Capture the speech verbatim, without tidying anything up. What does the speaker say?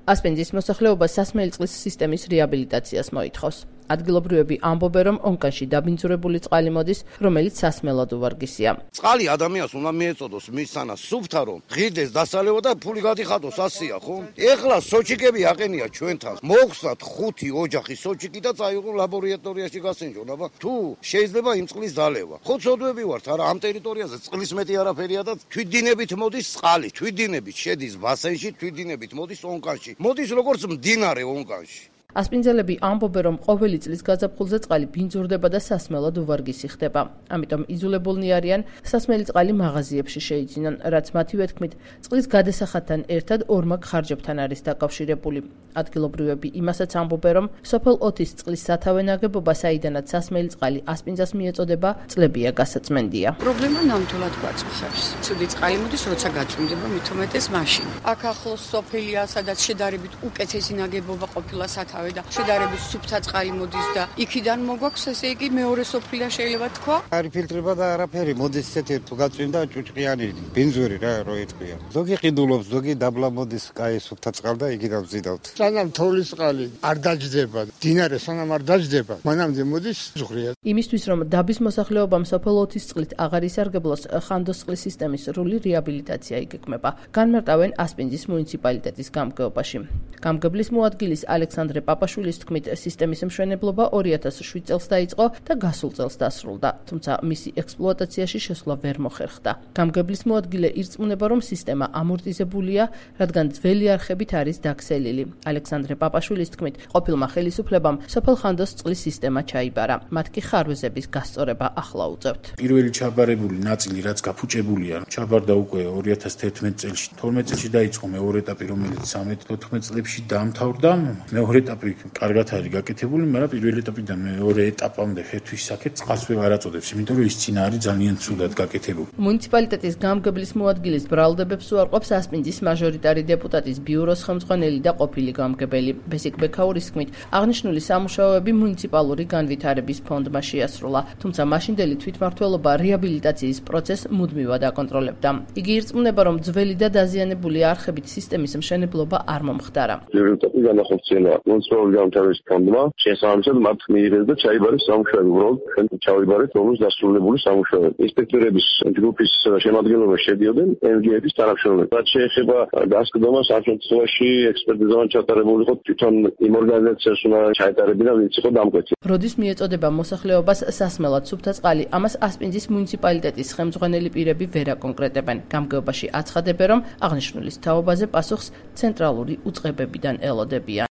ასპინძის მოსახლეობა სასმელი წყლის სისტემის რეაბილიტაციას მოითხოვს. ადგილობრივები ამბობენ, რომ ონკანში დაბინძურებული წყალი მოდის, რომელიც სასმელად უვარგისია. წყალი ადამიანს უნდა მიეწოდოს მის სანას სუფთა რომ ღირდეს დასალევა და ფული გადიხადოს ასია ხო? ეხლა სოჩიკები აყენია ჩვენთან. მოგხსნათ ხუთი ოჯახი სოჩიკი და წაიღო ლაბორატორიაში გასენჯონ, აბა თუ შეიძლება იმ წყლის დალევა. ხო ცოდვები ვართ, არა ამ ტერიტორიაზე წყლის მეტი არაფერია და თვითდინებით მოდის წყალი, თვითდინებით შედის ბასენში, თვითდინებით მოდის ონკანში. მოდის როგორც მდინარე ონკანში. ასპინძელები ამბობენ, რომ ყოველი წლის გაზაფხულზე წყალი ბინძურდება და სასმელად უვარგისი ხდება. ამიტომ იძულებულნი არიან სასმელი წყალი მაღაზიებში შეიძინონ, რაც მათივე თქმით, წყლის გადასახადთან ერთად ორმაგ ხარჯებთან არის დაკავშირებული. ადგილობრივები იმასაც ამბობენ, რომ სოფელ ოთის წყლის სათავე ნაგებობა, საიდანაც სასმელი წყალი ასპინძას მიეწოდება, წლებია გასაწმენდია. პრობლემა ნამდვილად გვაწუხებს. ცუდი წყალი მოდის, როცა გაწმდება, მით უმეტეს მაშინ. აქ ახლოს სოფელია, სადაც შედარებით უკეთესი ნაგებობა ყოფილა სათავე და შედარებით სუფთა წყალი მოდის და იქიდან მოგვაქვს, ესე იგი მეორე სოფლია შეიძლება თქვა. არ იფილტრება და არაფერი, მოდის ესეთი თუ გაწვიმდა ჭუჭყიანი ბინძური რა რო ეთქვია. ზოგი ყიდულობს, ზოგი დაბლა მოდის, კაი სუფთა წყალი და იგივე ვზიდავთ. სანამ თოვლის წყალი არ დაჯდება, დინარე სანამ არ დაჯდება, მანამდე მოდის ზღვრია. იმისთვის რომ დაბის მოსახლეობამ სოფელ ოთის წყლით აღარ ისარგებლოს, ხანდოს წყლის სისტემის სრული რეაბილიტაცია იგეგმება. განმარტავენ ასპინძის მუნიციპალიტეტის გამგეობაში. გამგებლის მოადგილის ალექსანდრე პაპაშვილის თქმით, სისტემის მშენებლობა ორი ათას შვიდ წელს დაიწყო და გასულ წელს დასრულდა, თუმცა მისი ექსპლუატაციაში შესვლა ვერ მოხერხდა. გამგებლის მოადგილე ირწმუნება, რომ სისტემა ამორტიზებულია, რადგან ძველი არხებით არის დაქსელილი. ალექსანდრე პაპაშვილის თქმით, ყოფილმა ხელისუფლებამ სოფელ ხანდოს წყლის სისტემა ჩაიბარა, მათ კი ხარვეზების გასწორება ახლა უწევთ. პირველი ჩაბარებული ნაწილი, რაც გაფუჭებულია, ჩაბარდა უკვე ორი ათას თერთმეტ წელს. თორმეტ წელში დაიწყო მეორე ეტაპი, რომელიც სამეთს თოთხმეტ წლებში დაამთავრდა. მეორე ეტაპი კარგად არის გაკეთებული, მაგრამ პირველი ეტაპიდან მეორე ეტაპამდე ხერთვის საკეთ წყალს ვერ აწოდებს, იმიტომ რომ ის წინა არის ძალიან ცუდად გაკეთებული. მუნიციპალიტეტის გამგებლის მოადგილის ბრალდებებს უარყოფს ასპინძის მაჟორიტარი დეპუტატის ბიუროს ხელმძღვანელი და ყოფილი გამგებელი. ბესიკ ბექაურის თქმით, აღნიშნული სამუშაოები მუნიციპალური განვითარების ფონდმა შეასრულა, თუმცა მაშინდელი თვითმმართველობა რეაბილიტაციის პროცესს მუდმივად აკონტროლებდა. იგი ირწმუნება, რომ ძველი და დაზიანებული არხებით სისტემის მშენებლობა არ მომხდარა. მუნიციპალური განვითარების ფონდმა შესაბამისად მათ მიიღეს და ჩაიბარეს სამუშაოები, უბრალოდ ჩვენ ჩავიბარეთ რომლის დასრულებული სამუშაოები. ინსპექტორების ჯგუფის შემადგენლობაში შედიოდნენ ემ ჯი ეფ-ის თანამშრომლები. რაც შეეხება გასკდომას, ამ შემთხვევაში ექსპერტიზა ჩატარებული იყო თვითონ იმ ორგანიზაციას უნდა ჩაეტარებინა, ვინც იყო დამკვეთი. როდის მიეწოდება მოსახლეობას სასმელად სუფთა წყალი, ამას ასპინძის მუნიციპალიტეტის ხელმძღვანელი პირები ვერ აკონკრეტებენ. გამგეობაში აცხადებენ, რომ აღნიშნულის თაობაზე პასუხს ცენტრალური უწყებებიდან ელოდებიან.